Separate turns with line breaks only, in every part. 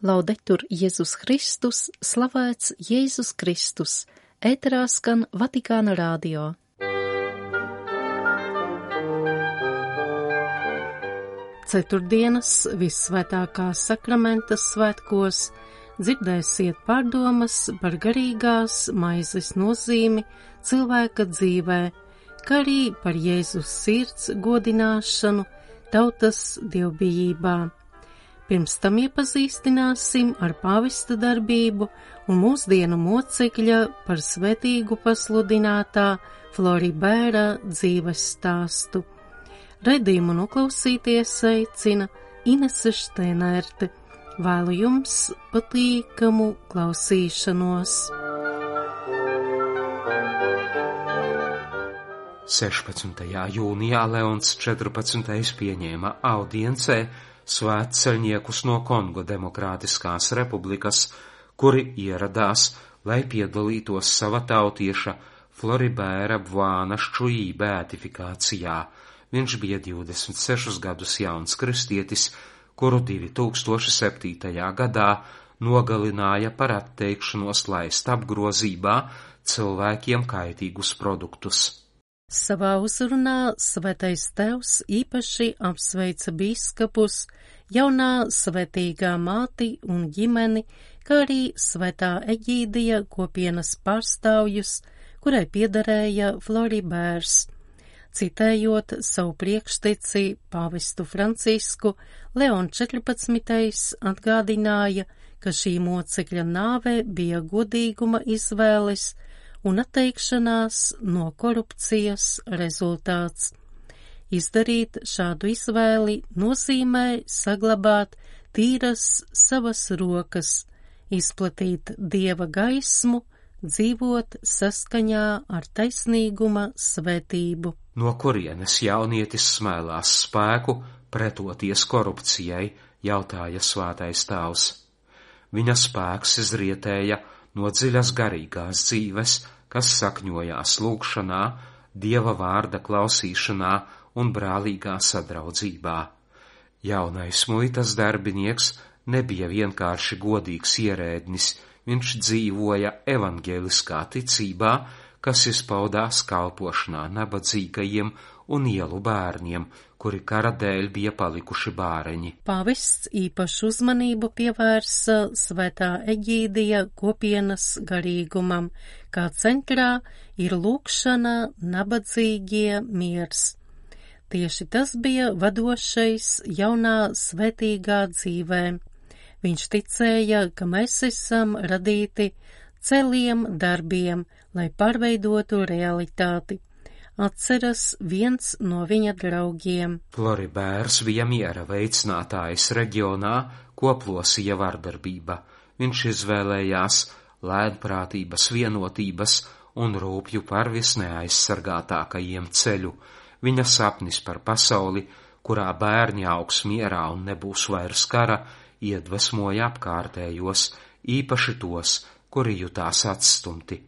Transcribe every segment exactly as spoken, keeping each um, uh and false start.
Laudetur Jēzus Kristus, slavēts Jēzus Kristus, ēterā skan Vatikāna radio. Ceturtdienas Vissvētākā sakramenta svētkos dzirdēsiet pārdomas par garīgās maizes nozīmi cilvēka dzīvē, kā arī par Jēzus sirds godināšanu tautas dievbijībā. Pirms tam iepazīstināsim ar pāvesta darbību un mūsdienu mocekļa par svētīgu pasludinātā Floribēra dzīves stāstu. Raidījumu noklausīties aicina Inese Šteinerte. Vēlu jums patīkamu klausīšanos.
sešpadsmitajā jūnijā Leons četrpadsmitais pieņēma audiencē svētceļniekus no Kongo Demokrātiskās republikas, kuri ieradās, lai piedalītos sava tautieša Floribēra Bvuana Ščuī beatifikācijā. Viņš bija divdesmit sešus gadus jauns kristietis, kuru divi tūkstoši septītajā gadā nogalināja par atteikšanos laist apgrozībā cilvēkiem kaitīgus produktus.
Savā uzrunā Svētais Tevs īpaši apsveica bīskapus, jaunā svētīgā māti un ģimeni, kā arī Svētā Eģīdija kopienas pārstāvjus, kurai piederēja Floribērs. Citējot savu priekšteci pāvestu Francisku, Leons četrpadsmitais atgādināja, ka šī mocekļa nāve bija godīguma izvēles un atteikšanās no korupcijas rezultāts. Izdarīt šādu izvēli nozīmē saglabāt tīras savas rokas, izplatīt Dieva gaismu, dzīvot saskaņā ar taisnīguma svētību.
No kurienes jaunietis smēlās spēku pretoties korupcijai, jautāja Svētais Tēvs. Viņa spēks izrietēja no dziļas garīgās dzīves, kas sakņojās lūgšanā, Dieva vārda klausīšanā un brālīgā sadraudzībā. Jaunais muitas darbinieks nebija vienkārši godīgs ierēdnis, viņš dzīvoja evaņģēliskā ticībā, kas izpaudās kalpošanā nabadzīgajiem un ielu bērniem, kuri kara dēļ bija palikuši bāreņi.
Pāvests īpašu uzmanību pievērsa Svētā Eģīdija kopienas garīgumam, kā centrā ir lūgšana, nabadzīgie, miers. Tieši tas bija vadošais jaunā svētīgā dzīvē. Viņš ticēja, ka mēs esam radīti celiem darbiem, lai pārveidotu realitāti. Atceras viens no viņa draugiem.
Floribērs bija miera veicinātājs reģionā, ko plosīja vardarbība. Viņš izvēlējās lēnprātības, vienotības un rūpju par visneaizsargātākajiem ceļu. Viņa sapnis par pasauli, kurā bērni augs mierā un nebūs vairs kara, iedvesmoja apkārtējos, īpaši tos, kuri jutās atstumti.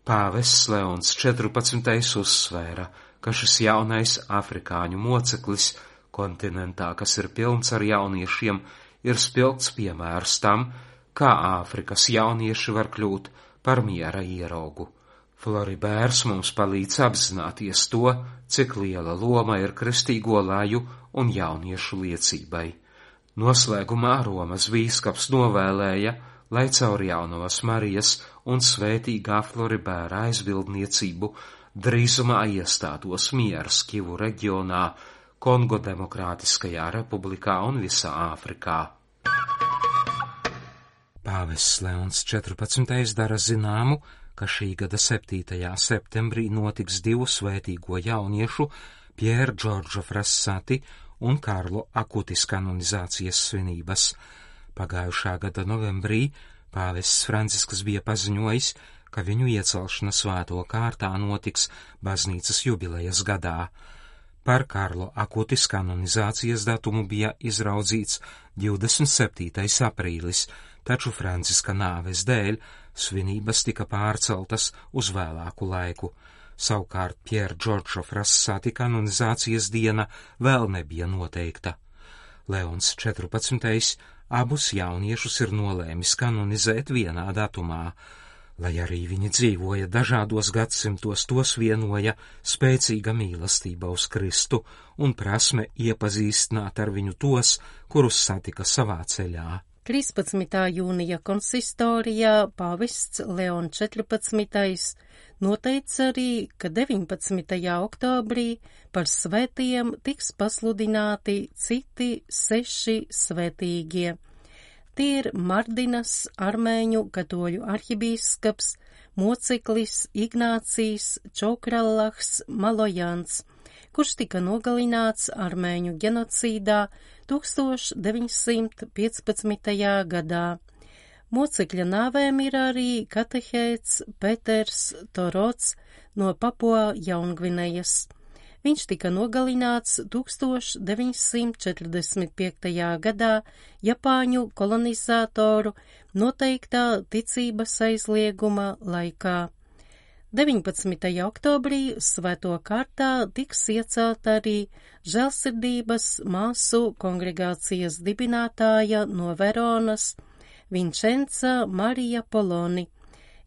Pāvests Leons četrpadsmitais uzsvēra, ka šis jaunais afrikāņu moceklis kontinentā, kas ir pilns ar jauniešiem, ir spilgts piemērs tam, kā Āfrikas jaunieši var kļūt par miera ieraugu. Floribērs mums palīdz apzināties to, cik liela loma ir kristīgo laju un jauniešu liecībai. Noslēgumā Romas bīskaps novēlēja, lai caur Jaunavas Marijas un svētīgā Floribēra aizbildniecību drīzumā iestātos miers Kivu reģionā, Kongo Demokrātiskajā republikā un visā Āfrikā. Pāvests Leons četrpadsmitais dara zināmu, ka šī gada septītajā septembrī notiks divu svētīgo jauniešu Pierre Giorgio Frassati un Karlo Akutis kanonizācijas svinības. Pagājušā gada novembrī pāvests Francisks bija paziņojis, ka viņu iecelšana svēto kārtā notiks baznīcas jubilejas gadā. Par Karlo Akutis kanonizācijas datumu bija izraudzīts divdesmit septītais aprīlis, taču Franciska nāves dēļ svinības tika pārceltas uz vēlāku laiku. Savukārt Pierre Giorgio Frassati kanonizācijas diena vēl nebija noteikta. Leons četrpadsmitais abus jauniešus ir nolēmis kanonizēt vienā datumā. Lai arī viņi dzīvoja dažādos gadsimtos, tos vienoja spēcīga mīlestība uz Kristu un prasme iepazīstināt ar viņu tos, kurus satika savā ceļā.
trīspadsmitā jūnija konsistorijā pāvests Leons četrpadsmitais noteica arī, ka deviņpadsmitajā oktobrī par svētiem tiks pasludināti citi seši svētīgie. Tie ir Mardinas, armēņu katoļu arhibīskaps, moceklis Ignācijs Čokrallahs Malojans, kurš tika nogalināts armēņu genocīdā tūkstoš deviņsimt piecpadsmitajā gadā. Mocekļa nāvēm ir arī katehēts Peters Torots no Papua Jaungvinejas. Viņš tika nogalināts tūkstoš deviņsimt četrdesmit piektajā gadā Japāņu kolonizatoru noteiktā ticības aizlieguma laikā. deviņpadsmitajā oktobrī svēto kārtā tiks iecelta arī žēlsirdības māsu kongregācijas dibinātāja no Veronas Vincenza Marija Poloni,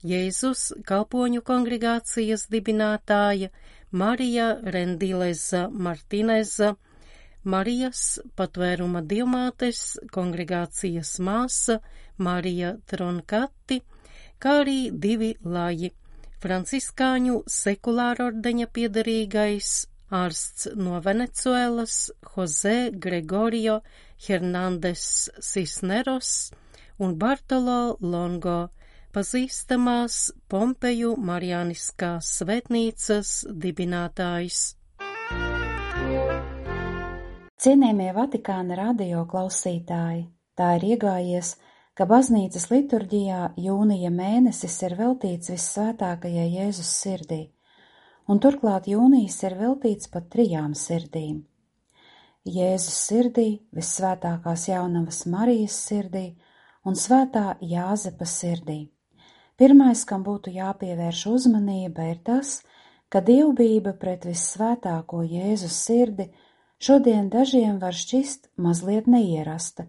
Jēzus kalpoņu kongregācijas dibinātāja Marija Rendileza Martineza, Marijas patvēruma dievmātes kongregācijas māsa Marija Tronkati, kā arī divi laji – franciskāņu sekulāra ordeņa piederīgais ārsts no Venecuēlas Jose Gregorio Hernandez Cisneros un Bartolo Longo, pazīstamās Pompeju Marijāniskās svētnīcas dibinātājs.
Cienījamie Vatikāna radio klausītāji, tā ir iegājies, ka baznīcas liturģijā jūnija mēnesis ir veltīts vissvētākajai Jēzus sirdī, un turklāt jūnijas ir veltīts pat trijām sirdīm. Jēzus sirdī, vissvētākās jaunavas Marijas sirdī un svētā Jāzepa sirdī. Pirmais, kam būtu jāpievērš uzmanība, ir tas, ka dievbijība pret vissvētāko Jēzus sirdi šodien dažiem var šķist mazliet neierasta,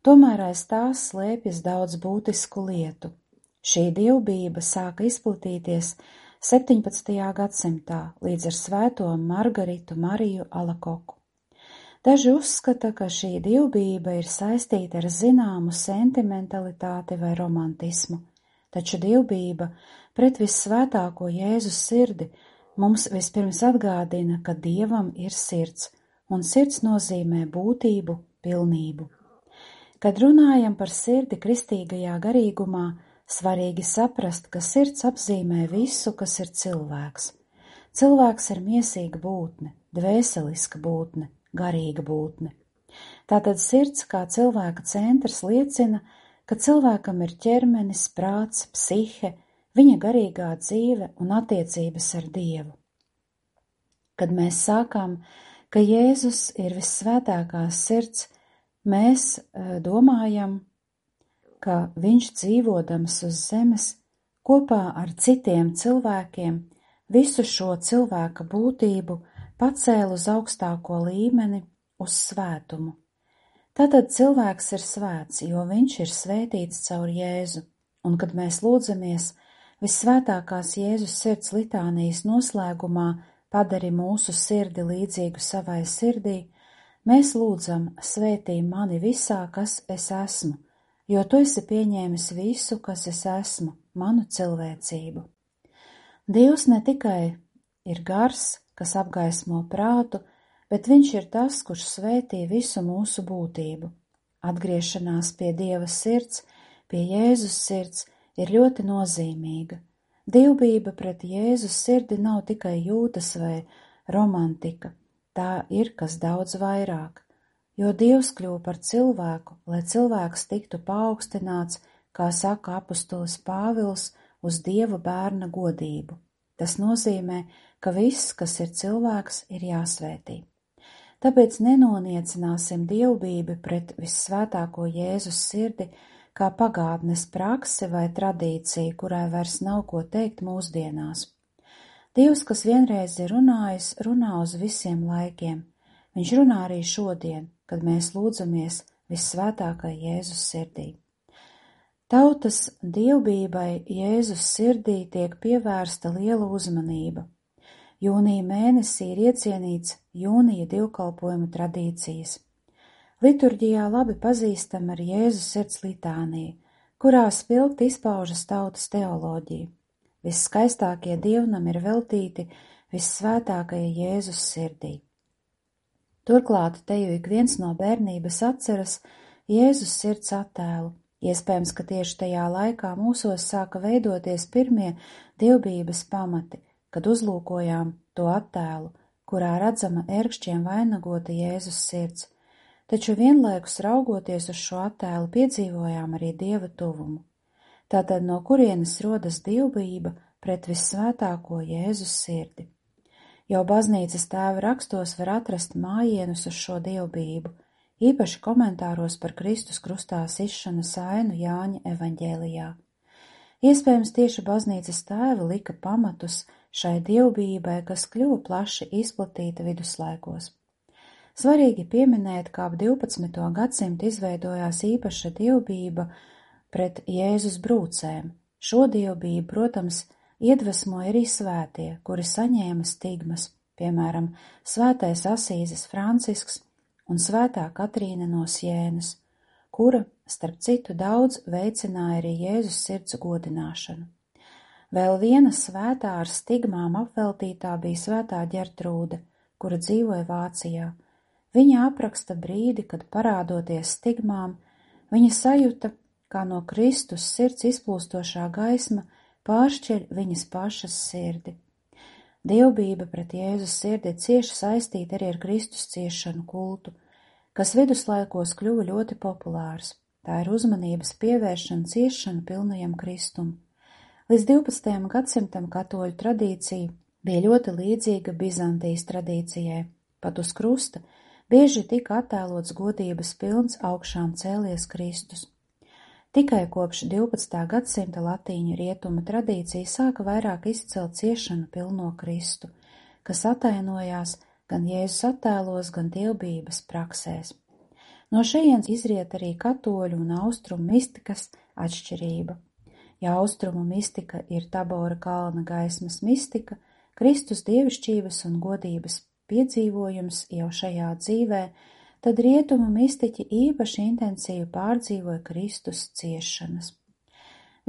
tomēr aiz tās slēpjas daudz būtisku lietu. Šī dievbijība sāka izplatīties septiņpadsmitajā gadsimtā līdz ar svēto Margaritu Mariju Alakoku. Daži uzskata, ka šī dievbijība ir saistīta ar zināmu sentimentalitāti vai romantismu, taču dievbijība pret vissvētāko Jēzus sirdi mums vispirms atgādina, ka Dievam ir sirds, un sirds nozīmē būtību, pilnību. Kad runājam par sirdi kristīgajā garīgumā, svarīgi saprast, ka sirds apzīmē visu, kas ir cilvēks. Cilvēks ir miesīga būtne, dvēseliska būtne, garīga būtne. Tātad sirds kā cilvēka centrs liecina, ka cilvēkam ir ķermenis, prāts, psihe, viņa garīgā dzīve un attiecības ar Dievu. Kad mēs sākām, ka Jēzus ir vissvētākās sirds, mēs domājam, ka viņš dzīvodams uz zemes kopā ar citiem cilvēkiem visu šo cilvēka būtību pacēla uz augstāko līmeni, uz svētumu. Tātad cilvēks ir svēts, jo viņš ir svētīts caur Jēzu, un kad mēs lūdzamies vissvētākās Jēzus sirds litānijas noslēgumā padari mūsu sirdi līdzīgu savai sirdī, mēs lūdzam svētī mani visā, kas es esmu, jo tu esi pieņēmis visu, kas es esmu, manu cilvēcību. Dievs ne tikai ir gars, kas apgaismo prātu, bet viņš ir tas, kurš svētī visu mūsu būtību. Atgriešanās pie Dieva sirds, pie Jēzus sirds ir ļoti nozīmīga. Dievbijība pret Jēzus sirdi nav tikai jūtas vai romantika, tā ir kas daudz vairāk, jo Dievs kļuva par cilvēku, lai cilvēks tiktu paaugstināts, kā saka apustulis Pāvils, uz Dieva bērna godību. Tas nozīmē, ka viss, kas ir cilvēks, ir jāsvētī. Tāpēc nenoniecināsim dievbijību pret vissvētāko Jēzus sirdi kā pagātnes praksi vai tradīciju, kurai vairs nav ko teikt mūsdienās. Dievs, kas vienreiz ir runājis, runā uz visiem laikiem. Viņš runā arī šodien, kad mēs lūdzamies vissvētākai Jēzus sirdī. Tautas dievbijai Jēzus sirdī tiek pievērsta liela uzmanība. Jūnija mēnesī ir iecienīts jūnija divkalpojumu tradīcijas. Liturģijā labi pazīstam ar Jēzus sirds litāniju, kurā spilgti izpaužas tautas teoloģija. Visskaistākie dievnami ir veltīti vissvētākajai Jēzus sirdī. Turklāt te jau ik viens no bērnības atceras Jēzus sirds attēlu. Iespējams, ka tieši tajā laikā mūsos sāka veidoties pirmie dievbijības pamati, kad uzlūkojām to attēlu, kurā redzama ērkšķiem vainagota Jēzus sirds, taču vienlaikus raugoties uz šo attēlu piedzīvojām arī Dieva tuvumu. Tātad no kurienes rodas dievbijība pret vissvētāko Jēzus sirdi? Jau baznīcas tēva rakstos var atrast mājienus uz šo dievbijību, īpaši komentāros par Kristus krustā sišanas ainu Jāņa evaņģēlijā. Iespējams, tieši baznīcas tēvi lika pamatus šai dievbijībai, kas kļuva plaši izplatīta viduslaikos. Svarīgi pieminēt, kā ap divpadsmito gadsimtu izveidojās īpaša dievbijība pret Jēzus brūcēm. Šo dievbijību, protams, iedvesmoja arī svētie, kuri saņēma stigmas, piemēram, svētais Asīzes Francisks un svētā Katrīne no Sienas, kura, starp citu, daudz veicināja arī Jēzus sirds godināšanu. Vēl viena svētā ar stigmām apveltītā bija svētā Ģertrūde, kura dzīvoja Vācijā. Viņa apraksta brīdi, kad parādoties stigmām, viņa sajuta, kā no Kristus sirds izplūstošā gaisma pāršķir viņas pašas sirdi. Dievbijība pret Jēzus sirdi cieši saistīta arī ar Kristus ciešanu kultu, kas viduslaikos kļuva ļoti populārs. Tā ir uzmanības pievēršana ciešanu pilnajam Kristum. Līdz divpadsmitajam gadsimtam katoļu tradīcija bija ļoti līdzīga Bizantijas tradīcijai. Pat uz krusta bieži tika attēlots godības pilns augšām cēlies Kristus. Tikai kopš divpadsmitā gadsimta latīņu rietuma tradīcija sāka vairāk izcelt ciešanu pilno Kristu, kas atainojās gan Jēzus attēlos, gan dievbijības praksēs. No šejienes izriet arī katoļu un austrumu mistikas atšķirība. Ja austrumu mistika ir Tabora kalna gaismas mistika, Kristus dievišķības un godības piedzīvojums jau šajā dzīvē, tad rietumu mistiķi īpaši intensīvi pārdzīvoja Kristus ciešanas.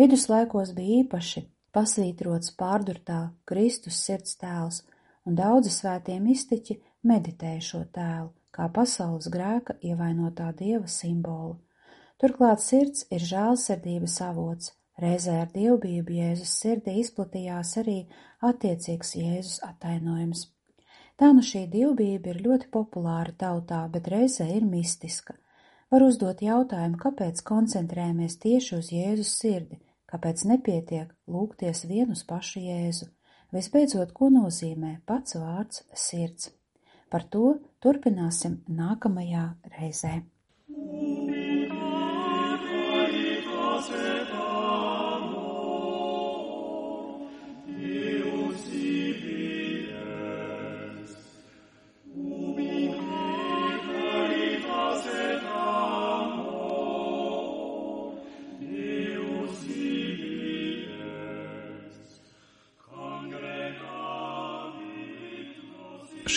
Viduslaikos bija īpaši pasvītrots pārdurtā Kristus sirds tēls, un daudzi svētie mistiķi meditēja šo tēlu, kā pasaules grēka ievainotā dieva simbolu. Turklāt sirds ir žēlsirdības avots, reizē ar dievbijību Jēzus sirdī izplatījās arī attiecīgs Jēzus atainojums. Tā nu šī dievbijība ir ļoti populāra tautā, bet reizē ir mistiska. Var uzdot jautājumu, kāpēc koncentrējamies tieši uz Jēzus sirdi, kāpēc nepietiek lūgties vien uz pašu Jēzu. Visbeidzot, ko nozīmē pats vārds sirds? Par to turpināsim nākamajā reizē.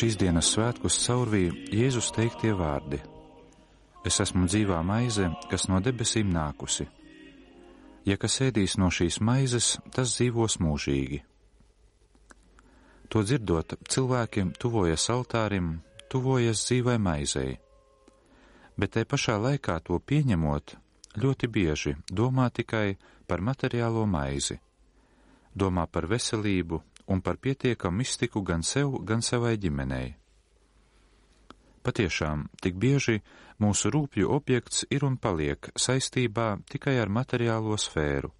Šīs dienas svētkus caurvīja Jēzus teiktie vārdi: Es esmu dzīvā maize, kas no debesīm nākusi. Ja kas ēdīs no šīs maizes, tas dzīvos mūžīgi. To dzirdot, cilvēkiem tuvojas altārim, tuvojas dzīvai maizei, bet te pašā laikā to pieņemot, ļoti bieži domā tikai par materiālo maizi, domā par veselību un par pietiekamu iztiku gan sev, gan savai ģimenei. Patiešām, tik bieži mūsu rūpju objekts ir un paliek saistībā tikai ar materiālo sfēru.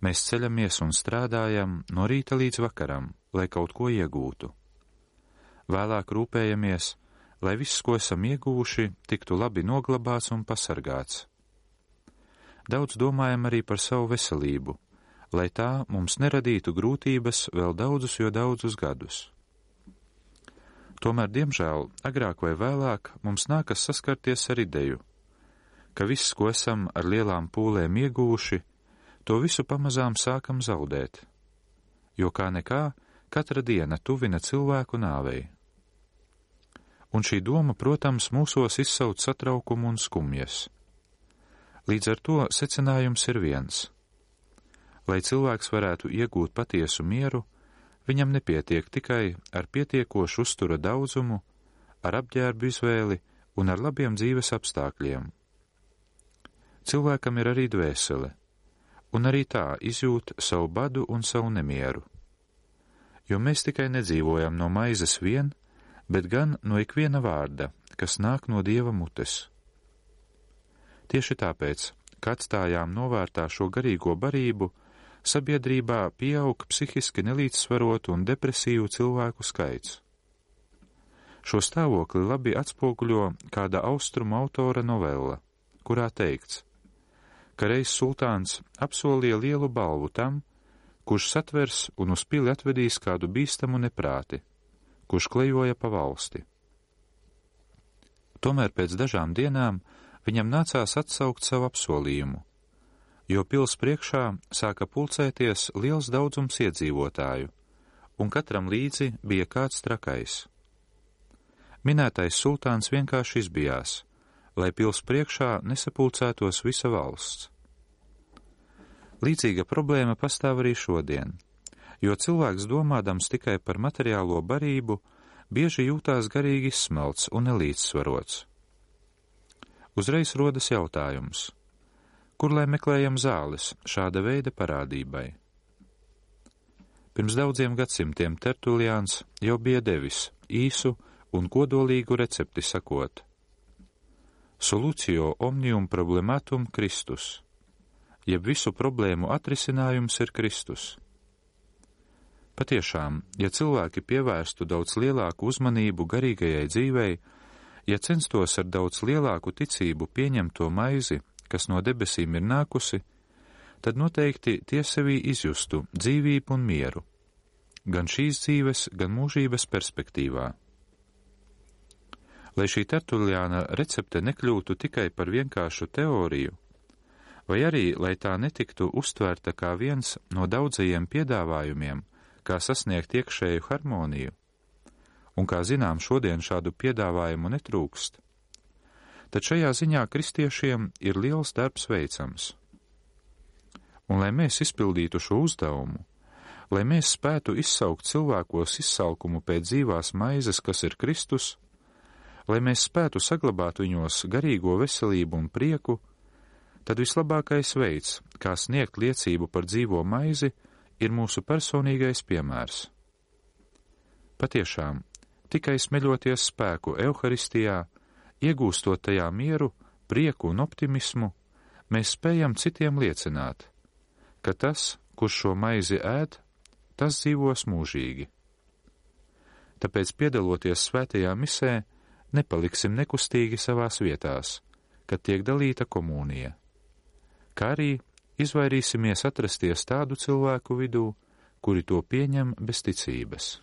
Mēs ceļamies un strādājam no rīta līdz vakaram, lai kaut ko iegūtu. Vēlāk rūpējamies, lai viss, ko esam ieguvuši, tiktu labi noglabāts un pasargāts. Daudz domājam arī par savu veselību, lai tā mums neradītu grūtības vēl daudzus jo daudzus gadus. Tomēr, diemžēl, agrāk vai vēlāk mums nākas saskarties ar ideju, ka viss, ko esam ar lielām pūlēm ieguvuši, to visu pamazām sākam zaudēt, jo kā nekā katra diena tuvina cilvēku nāvei. Un šī doma, protams, mūsos izsauc satraukumu un skumjas. Līdz ar to secinājums ir viens. Lai cilvēks varētu iegūt patiesu mieru, viņam nepietiek tikai ar pietiekošu uztura daudzumu, ar apģērbu izvēli un ar labiem dzīves apstākļiem. Cilvēkam ir arī dvēsele, un arī tā izjūt savu badu un savu nemieru. Jo mēs tikai nedzīvojam no maizes vien, bet gan no ikviena vārda, kas nāk no Dieva mutes. Tieši tāpēc, kad atstājām novērtā šo garīgo barību, sabiedrībā pieaug psihiski nelīdzsvarotu un depresīvu cilvēku skaits. Šo stāvokli labi atspoguļo kāda austrumu autora novella, kurā teikts, ka reiz sultāns apsolīja lielu balvu tam, kurš satvers un uz pili atvedīs kādu bīstamu neprāti, kurš klejoja pa valsti. Tomēr pēc dažām dienām viņam nācās atsaukt savu apsolījumu, jo pils priekšā sāka pulcēties liels daudzums iedzīvotāju, un katram līdzi bija kāds trakais. Minētais sultāns vienkārši izbijās, lai pils priekšā nesapulcētos visa valsts. Līdzīga problēma pastāv arī šodien, jo cilvēks domādams tikai par materiālo barību, bieži jūtās garīgi izsmelts un nelīdzsvarots. Uzreiz rodas jautājums, kur lai meklējam zāles šāda veida parādībai? Pirms daudziem gadsimtiem Tertuliāns jau bija devis īsu un kodolīgu recepti sakot: Solutio omnium problematum Kristus, jeb visu problēmu atrisinājums ir Kristus. Patiešām, ja cilvēki pievērstu daudz lielāku uzmanību garīgajai dzīvei, ja censtos ar daudz lielāku ticību pieņemt to maizi, kas no debesīm ir nākusi, tad noteikti tie sevī izjustu dzīvību un mieru, gan šīs dzīves, gan mūžības perspektīvā. Lai šī Tertuliāna recepte nekļūtu tikai par vienkāršu teoriju, vai arī, lai tā netiktu uztvērta kā viens no daudzajiem piedāvājumiem, kā sasniegt iekšēju harmoniju, un kā zinām, šodien šādu piedāvājumu netrūkst, tad šajā ziņā kristiešiem ir liels darbs veicams. Un lai mēs izpildītu šo uzdevumu, lai mēs spētu izsaukt cilvēkos izsalkumu pēc dzīvās maizes, kas ir Kristus, lai mēs spētu saglabāt viņos garīgo veselību un prieku, tad vislabākais veids, kā sniegt liecību par dzīvo maizi, ir mūsu personīgais piemērs. Patiešām, tikai smeļoties spēku Euharistijā, iegūstot tajā mieru, prieku un optimismu, mēs spējam citiem liecināt, ka tas, kurš šo maizi ēd, tas dzīvos mūžīgi. Tāpēc, piedaloties svētajā misē, nepaliksim nekustīgi savās vietās, kad tiek dalīta komunija, kā arī izvairīsimies atrasties tādu cilvēku vidū, kuri to pieņem bez ticības.